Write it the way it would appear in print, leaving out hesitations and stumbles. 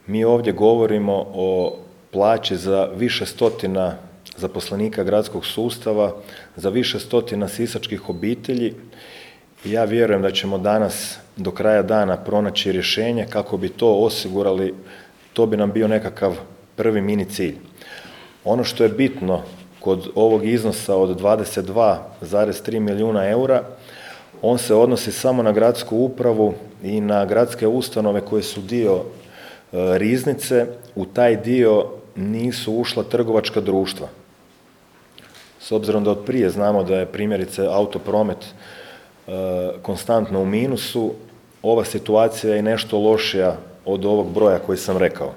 Mi ovdje govorimo o plaći za više stotina zaposlenika gradskog sustava, za više stotina sisačkih obitelji. Ja vjerujem da ćemo danas do kraja dana pronaći rješenje kako bi to osigurali. To bi nam bio nekakav prvi mini cilj. Ono što je bitno kod ovog iznosa od 22,3 milijuna eura, on se odnosi samo na gradsku upravu i na gradske ustanove koje su dio riznice. U taj dio nisu ušla trgovačka društva. S obzirom da od prije znamo da je primjerice autopromet konstantno u minusu, ova situacija je nešto lošija od ovog broja koji sam rekao.